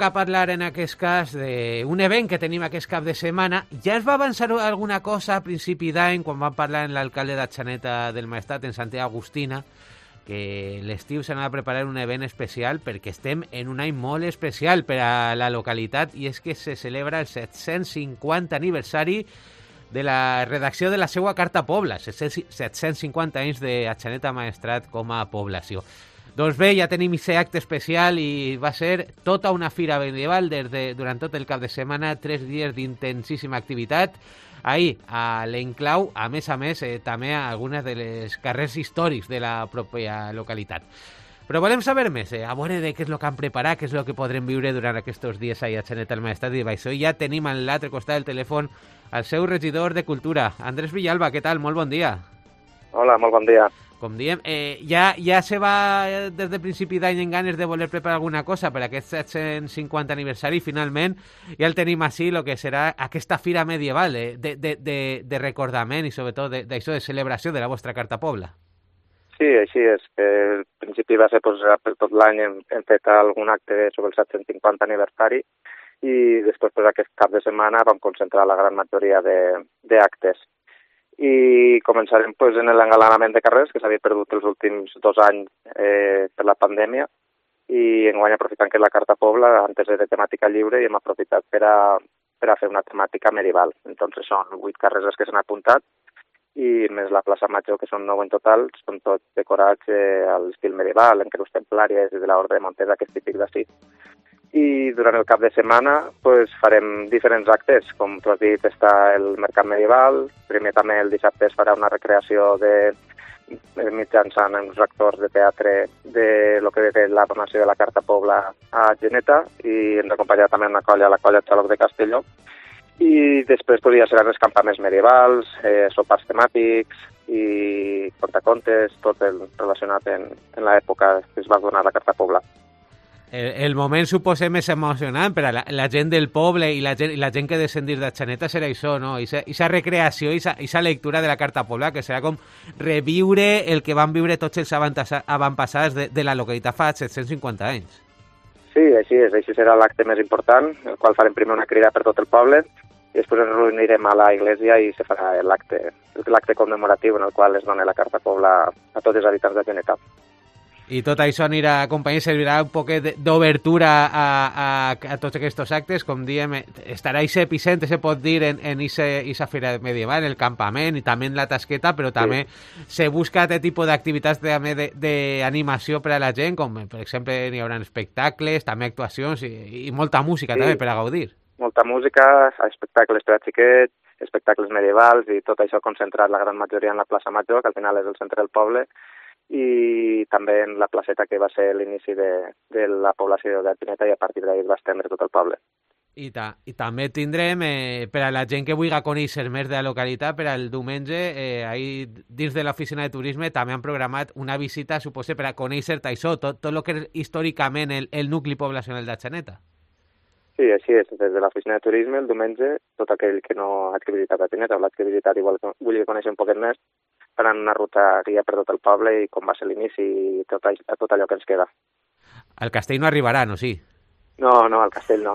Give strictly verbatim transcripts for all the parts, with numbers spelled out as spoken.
toca parlar en aquest cas d'un event que tenim aquest cap de setmana. Ja es va avançar alguna cosa a principi d'any quan vam parlar amb l'alcalde d'Atxaneta del Maestrat, en Santiago Agustina, que l'estiu s'anava a preparar un event especial perquè estem en un any molt especial per a la localitat, i és que se celebra el set-cents cinquanta aniversari de la redacció de la seva Carta Pobla, set-cents cinquanta anys d'Atxaneta Maestrat com a població. Doncs bé, ja tenim aquest acte especial i va ser tota una fira medieval des de, durant tot el cap de setmana, tres dies d'intensíssima activitat. Ahir, a l'Enclau, a més a més, eh, també a algunes de les carrers històrics de la pròpia localitat. Però volem saber més, eh, a veure de què és el que han preparat, què és el que podrem viure durant aquests dies a Atxaneta al Maestrat, i això ja tenim a l'altre costat del telèfon el seu regidor de Cultura, Andrés Villalba. Què tal? Molt bon dia. Hola, molt bon dia. Com diem, eh, ja, ja se va des de principi d'any en ganes de voler preparar alguna cosa per aquest set-cents cinquanta aniversari, i finalment ja el tenim així, el que serà aquesta fira medieval eh, de, de, de, de recordament i sobretot d'això de, de celebració de la vostra Carta Pobla. Sí, així és. Que al principi va ser pues, per tot l'any hem, hem fet algun acte sobre el set-cents cinquanta aniversari, i després pues, aquest cap de setmana vam concentrar la gran majoria d'actes. I començarem pues, en l'engalanament de carrers, que s'havia perdut els últims dos anys eh, per la pandèmia, i enguany aprofitant que la Carta Pobla antes era de temàtica lliure i hem aprofitat per a, per a fer una temàtica medieval. Entonces són vuit carrers que s'han apuntat, i més la plaça Major, que són nou en total, són tots decorats eh, a l'estil medieval, en creus templàries i de l'Orde de Montesa, que és típic d'ací. I durant el cap de setmana pues, farem diferents actes, com tu has dit, està el Mercat Medieval, primer també el dissabte es farà una recreació de mitjançant uns actors de teatre de lo que ve la donació de la Carta Pobla a Atxaneta, i ens acompanyarà també una colla, la colla Xaloc de Castelló, i després pues, ja seran els campaments medievals, eh, sopars temàtics i contacontes, tot el relacionat en, en l'època que es va donar la Carta Pobla. El, el moment suposa més emocionant per a la, la gent del poble i la gent, i la gent que descendir d'Atxaneta serà això, no? Aquesta recreació i aquesta lectura de la Carta Pobla, que serà com reviure el que van viure tots els avantpassats de, de la localitat fa set-cents cinquanta anys. Sí, així és. Així serà l'acte més important, el qual farem primer una crida per tot el poble, i després ens reunirem a la iglesia i se farà l'acte l'acte commemoratiu en el qual es dona la Carta Pobla a tots els habitants d'Atxaneta. I tot això anirà acompanyat, servirà un poc d'obertura a, a, a tots aquests actes, com diem, estarà aquest epicentre, se pot dir, en aquesta fira medieval, el campament i també en la tasqueta, però també sí. Se busca aquest tipus d'activitats d'animació per a la gent, com per exemple hi haurà espectacles, també actuacions i, i molta música sí. També per a gaudir. Molta música, espectacles per a xiquets, espectacles medievals, i tot això concentrat la gran majoria en la plaça Major, que al final és el centre del poble, i també en la placeta que va ser l'inici de, de la població d'Atxaneta, i a partir d'ahir va estendre tot el poble. I, ta, i també tindrem, eh, per a la gent que vulgui conèixer més de la localitat, per al diumenge, eh, ahir dins de l'oficina de turisme també han programat una visita, suposo, per a conèixer això, tot, tot el que és històricament el, el nucli poblacional d'Atxaneta. Sí, així és. Des de l'oficina de turisme, el diumenge, tot aquell que no ha visitat Atxaneta o l'ha visitat i vulgui conèixer un poquet més, faran una ruta guia per tot el poble i com va ser l'inici i tot, tot allò que ens queda. Al castell no arribarà, no? Sí? No, no, al castell no.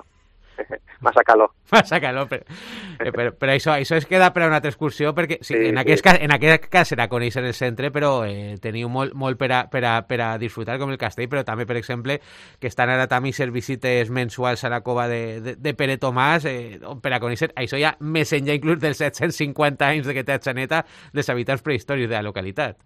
Massa calor. Massa calor, però, eh, però, però això, això es queda per a una altra excursió, perquè sí, sí, en, aquest sí. cas, en aquest cas serà conèixer el centre, però eh, teniu molt, molt per, a, per, a, per a disfrutar com el castell, però també, per exemple, que estan ara també ser visites mensuals a la cova de, de, de Pere Tomàs, eh, per a conèixer això ja més enllà inclús dels set-cents cinquanta anys de que té Atxaneta, dels habitants prehistòrics de la localitat.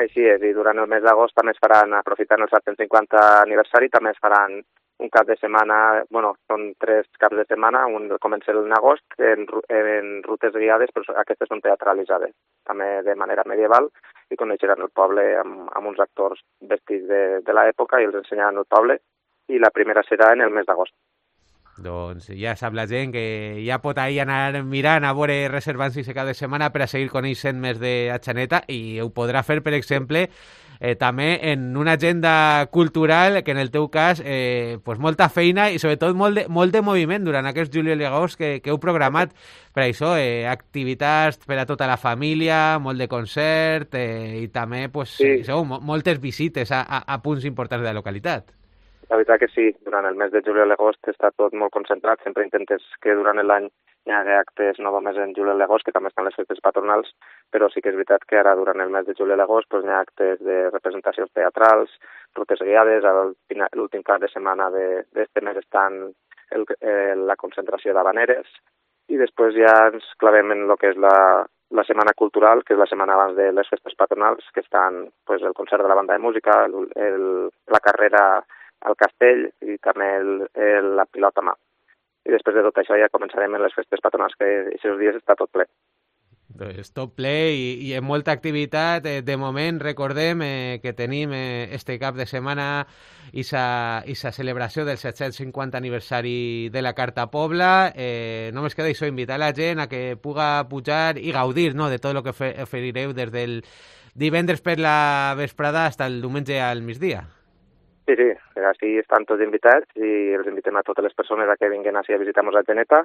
Així és, i durant el mes d'agost també es faran, aprofitant el set-cents cinquanta aniversari, també es faran un cap de setmana, bueno, són tres caps de setmana, un comença en agost en, en rutes guiades, però aquestes són teatralitzades, també de manera medieval, i coneixeran el poble amb, amb uns actors vestits de, de l'època i els ensenyaran el poble, i la primera serà en el mes d'agost. Doncs ja sap la gent que ja pot ahir anar mirant, a veure, reservant-se cada setmana per a seguir coneixent més d'Atxaneta, i ho podrà fer, per exemple, eh, també en una agenda cultural que en el teu cas eh, pues molta feina i sobretot molt de, molt de moviment durant aquests juliol i agost que, que heu programat per això, eh, activitats per a tota la família, molt de concert eh, i també pues, sí. això, moltes visites a, a, a punts importants de la localitat. la veritat que sí, durant el mes de juliol i agost està tot molt concentrat, sempre intentes que durant l'any hi hagi actes no només en juliol i agost, que també estan les festes patronals, però sí que és veritat que ara durant el mes de juliol i agost pues, hi ha actes de representacions teatrals, rutes guiades, l'últim cap de setmana d'aquest mes estan el, eh, la concentració d'habaneres, i després ja ens clavem en el que és la, la setmana cultural, que és la setmana abans de les festes patronals, que estan pues, el concert de la banda de música, el, el, la carrera al castell i també el, el, la pilota a mà. I després de tot això ja començarem en les festes patronals, que aquests dies està tot ple. Pues tot ple i, i amb molta activitat. Eh, de moment recordem eh, que tenim eh, este cap de setmana i sa celebració del set-cents cinquanta aniversari de la Carta Pobla. Eh, només queda això, invitar la gent a que puga pujar i gaudir, no?, de tot el que oferireu des del divendres per la vesprada fins el diumenge al migdia. Sí, sí, així estan tots invitats i els invitem a totes les persones a que vinguin així a visitar-nos a Geneta,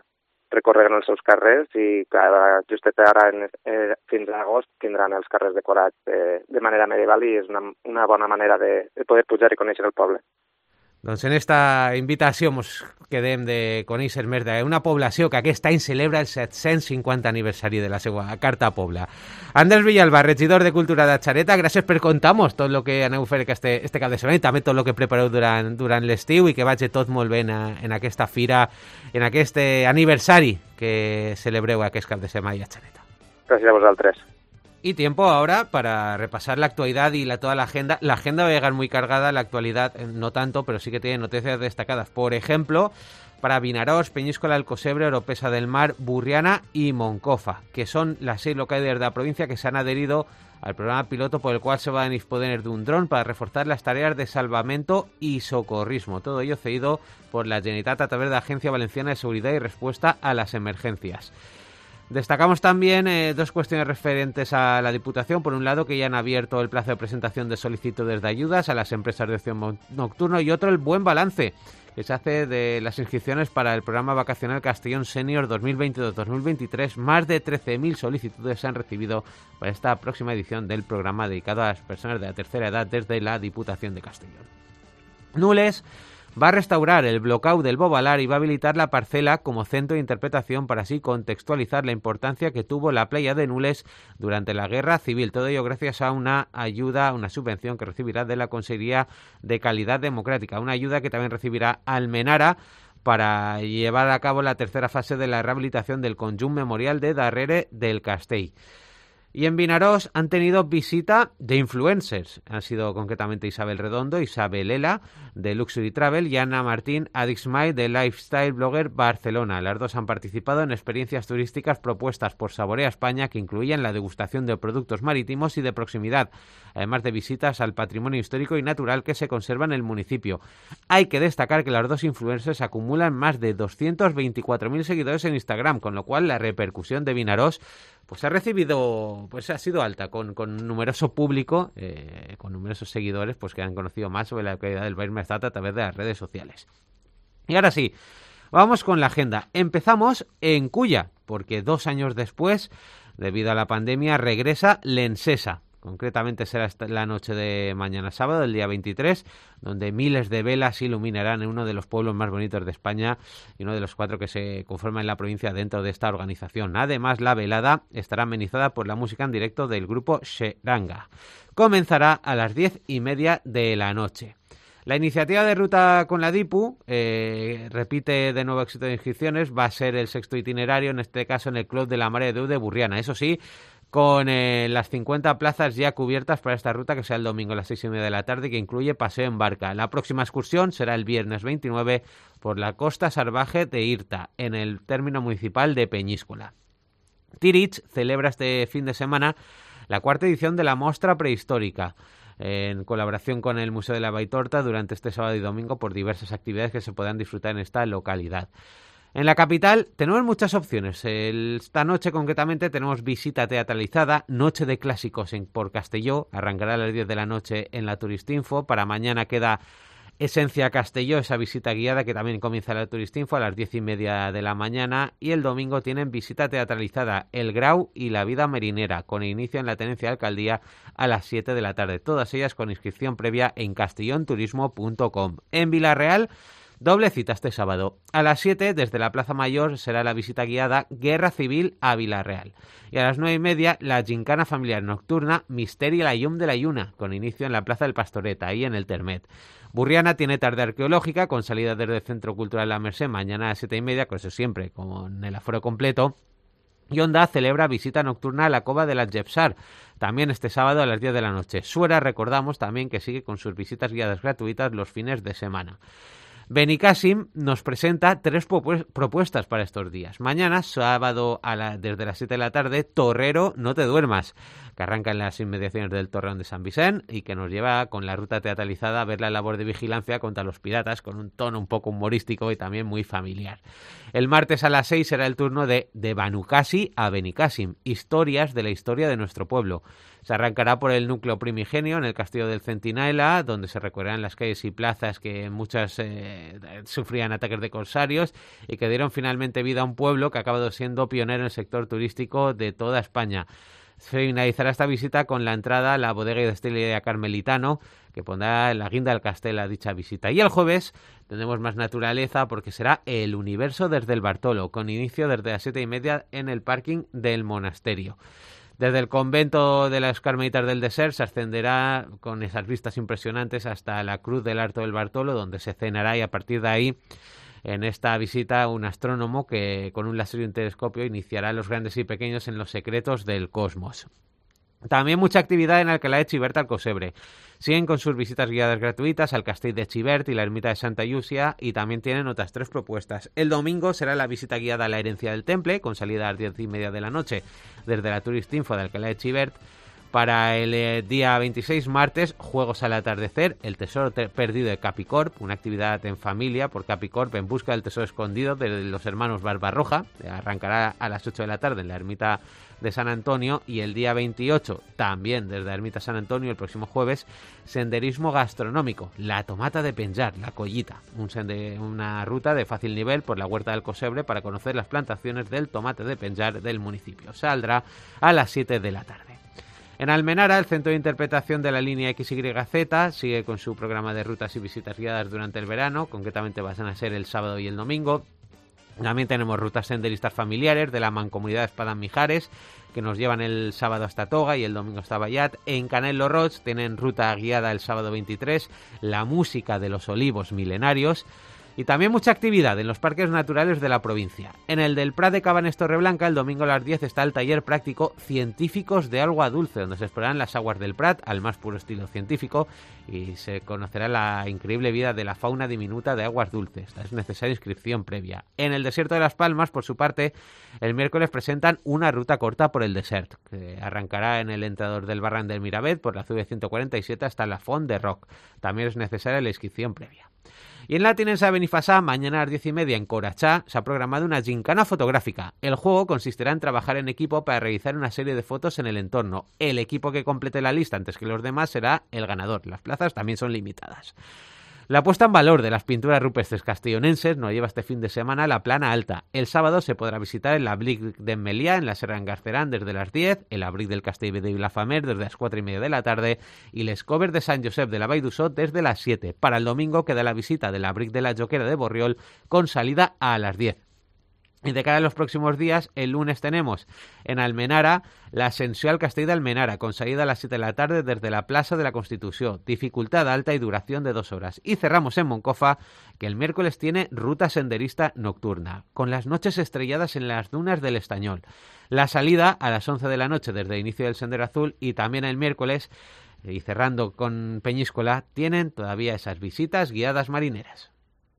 recorreguen els seus carrers i cada, justet ara en, eh, fins a agost tindran els carrers decorats eh, de manera medieval i és una, una bona manera de, de poder pujar i conèixer el poble. Doncs en esta invitació ens quedem de conèixer més d'una població que aquest any celebra el set-cents cinquanta aniversari de la seva Carta Pobla. Andrés Villalba, regidor de Cultura de Xareta, gràcies per contar-nos tot el que aneu a fer este, este cap de setmana i també tot el que prepareu durant, durant l'estiu i que vagi tot molt bé en, en aquesta fira, en aquest aniversari que celebreu aquest cap de setmana a Xareta. Gràcies a vosaltres. Y tiempo ahora para repasar la actualidad y la, toda la agenda. La agenda va a llegar muy cargada, la actualidad no tanto, pero sí que tiene noticias destacadas. Por ejemplo, para Vinaròs, Peñíscola, Alcosebre, Oropesa del Mar, Burriana y Moncofa, que son las seis localidades de la provincia que se han adherido al programa piloto por el cual se va a disponer de un dron para reforzar las tareas de salvamento y socorrismo. Todo ello cedido por la Generalitat a través de la Agencia Valenciana de Seguridad y Respuesta a las Emergencias. Destacamos también eh, dos cuestiones referentes a la Diputación. Por un lado, que ya han abierto el plazo de presentación de solicitudes de ayudas a las empresas de ocio nocturno, y otro, el buen balance que se hace de las inscripciones para el programa vacacional Castellón Senior dos mil veintidós dos mil veintitrés. Más de trece mil solicitudes se han recibido para esta próxima edición del programa dedicado a las personas de la tercera edad desde la Diputación de Castellón. Nules va a restaurar el bloqueo del Bobalar y va a habilitar la parcela como centro de interpretación para así contextualizar la importancia que tuvo la playa de Nules durante la Guerra Civil. Todo ello gracias a una ayuda, una subvención que recibirá de la Consejería de Calidad Democrática, una ayuda que también recibirá Almenara para llevar a cabo la tercera fase de la rehabilitación del conjunt memorial de Darrere del Castell. Y en Vinaròs han tenido visita de influencers. Han sido concretamente Isabel Redondo, Isabel Ela de Luxury Travel y Ana Martín Adixmay de Lifestyle Blogger Barcelona. Las dos han participado en experiencias turísticas propuestas por Saborea España que incluían la degustación de productos marítimos y de proximidad, además de visitas al patrimonio histórico y natural que se conserva en el municipio. Hay que destacar que las dos influencers acumulan más de doscientos veinticuatro mil seguidores en Instagram, con lo cual la repercusión de Vinaròs pues ha recibido, pues ha sido alta, con, con numeroso público, eh, con numerosos seguidores, pues que han conocido más sobre la localidad del Baix Maestrat a través de las redes sociales. Y ahora sí, vamos con la agenda. Empezamos en Culla, porque dos años después, debido a la pandemia, regresa l'Encesa. Concretamente será la noche de mañana sábado, el día veintitrés, donde miles de velas iluminarán en uno de los pueblos más bonitos de España y uno de los cuatro que se conforman en la provincia dentro de esta organización. Además, la velada estará amenizada por la música en directo del grupo Xeranga. Comenzará a las diez y media de la noche. La iniciativa de ruta con la DIPU eh, repite de nuevo éxito de inscripciones. Va a ser el sexto itinerario, en este caso en el Club de la Mare de Déu de Burriana. Eso sí, con eh, las cincuenta plazas ya cubiertas para esta ruta, que será el domingo a las seis y media de la tarde, que incluye paseo en barca. La próxima excursión será el viernes veintinueve por la costa salvaje de Irta, en el término municipal de Peñíscola. Tirich celebra este fin de semana la cuarta edición de la Mostra Prehistórica, en colaboración con el Museo de la Baitorta, durante este sábado y domingo por diversas actividades que se podrán disfrutar en esta localidad. En la capital tenemos muchas opciones. Esta noche concretamente tenemos visita teatralizada, noche de clásicos en, por Castelló, arrancará a las diez de la noche en la Turistinfo. Para mañana queda Esencia Castelló, esa visita guiada que también comienza la Turistinfo a las diez y media de la mañana, y el domingo tienen visita teatralizada El Grau y La Vida Marinera, con inicio en la Tenencia de Alcaldía a las siete de la tarde, todas ellas con inscripción previa en castellonturismo punto com. En Vilarreal, doble cita este sábado. A las siete, desde la Plaza Mayor, será la visita guiada Guerra Civil a Vilarreal. Y a las nueve y media, la gincana familiar nocturna Misteri la Llum de la Lluna, con inicio en la Plaza del Pastoreta, ahí en el Termet. Burriana tiene tarde arqueológica, con salida desde el Centro Cultural La Merced, mañana a las siete y media, con eso siempre, con el aforo completo. Y Onda celebra visita nocturna a la Cova de la Jepsar, también este sábado a las diez de la noche. Suera, recordamos también que sigue con sus visitas guiadas gratuitas los fines de semana. Benicàssim nos presenta tres propuestas para estos días. Mañana, sábado, a la, desde las siete de la tarde, Torrero, no te duermas, que arranca en las inmediaciones del Torreón de San Vicent y que nos lleva con la ruta teatralizada a ver la labor de vigilancia contra los piratas con un tono un poco humorístico y también muy familiar. El martes a las seis será el turno de De Banucasi a Benicàssim, historias de la historia de nuestro pueblo. Se arrancará por el núcleo primigenio en el Castillo del Centinela, donde se recorrerán las calles y plazas que muchas eh, sufrían ataques de corsarios y que dieron finalmente vida a un pueblo que ha acabado siendo pionero en el sector turístico de toda España. Se finalizará esta visita con la entrada a la bodega y destilería Carmelitano, que pondrá la guinda del castell a dicha visita. Y el jueves tendremos más naturaleza porque será El Universo desde el Bartolo, con inicio desde las siete y media en el parking del monasterio. Desde el convento de las Carmelitas del Desert se ascenderá con esas vistas impresionantes hasta la Cruz del Arto del Bartolo, donde se cenará, y a partir de ahí, en esta visita, un astrónomo que con un láser y un telescopio iniciará a los grandes y pequeños en los secretos del cosmos. También mucha actividad en Alcalá de Xivert al Cosebre. Siguen con sus visitas guiadas gratuitas al Castell de Xivert y la Ermita de Santa Llúcia, y también tienen otras tres propuestas. El domingo será la visita guiada a la Herencia del Temple, con salida a las diez y media de la noche desde la Turistinfo de Alcalá de Xivert. Para el eh, día veintiséis, martes, Juegos al Atardecer, el Tesoro te- Perdido de Capicorp, una actividad en familia por Capicorp en busca del tesoro escondido de los hermanos Barbarroja. Arrancará a las ocho de la tarde en la Ermita de San Antonio, y el día veintiocho, también desde la Ermita San Antonio, el próximo jueves, senderismo gastronómico, la tomata de Penjar, la collita, un sende- una ruta de fácil nivel por la huerta del Cosebre para conocer las plantaciones del tomate de Penjar del municipio. Saldrá a las siete de la tarde. En Almenara, el Centro de Interpretación de la Línea X Y Z sigue con su programa de rutas y visitas guiadas durante el verano, concretamente van a ser el sábado y el domingo. También tenemos rutas senderistas familiares de la Mancomunidad Espadán-Mijares, que nos llevan el sábado hasta Toga y el domingo hasta Vallat. En Canelo Roig tienen ruta guiada el sábado veintitrés, la música de los olivos milenarios. Y también mucha actividad en los parques naturales de la provincia. En el del Prat de Cabanes Torreblanca, el domingo a las diez está el taller práctico Científicos de Agua Dulce, donde se explorarán las aguas del Prat al más puro estilo científico y se conocerá la increíble vida de la fauna diminuta de aguas dulces. Es necesaria inscripción previa. En el desierto de Las Palmas, por su parte, el miércoles presentan una ruta corta por el desert, que arrancará en el entrador del Barran del Miravet por la C V ciento cuarenta y siete hasta la Font de Roc. También es necesaria la inscripción previa. Y en la Tinensa de Benifassà, mañana a las diez y media en Corachá, se ha programado una gincana fotográfica. El juego consistirá en trabajar en equipo para realizar una serie de fotos en el entorno. El equipo que complete la lista antes que los demás será el ganador. Las plazas también son limitadas. La puesta en valor de las pinturas rupestres castellonenses nos lleva este fin de semana a la Plana Alta. El sábado se podrá visitar el Abric de Meliá en la Serra Engarcerán desde las diez, el Abric del Castell de Vilafamer desde las cuatro y media de la tarde y les Covers de Sant Josep de la Vall d'Uixó desde las siete. Para el domingo queda la visita del Abric de la Joquera de Borriol con salida a las diez. Y de cara a los próximos días, el lunes tenemos en Almenara la ascensió al Castell de Almenara, con salida a las siete de la tarde desde la Plaza de la Constitución, dificultad alta y duración de dos horas. Y cerramos en Moncofa, que el miércoles tiene ruta senderista nocturna, con las noches estrelladas en las dunas del Estañol. La salida a las once de la noche desde el inicio del Sendero Azul, y también el miércoles, y cerrando con Peñíscola, tienen todavía esas visitas guiadas marineras.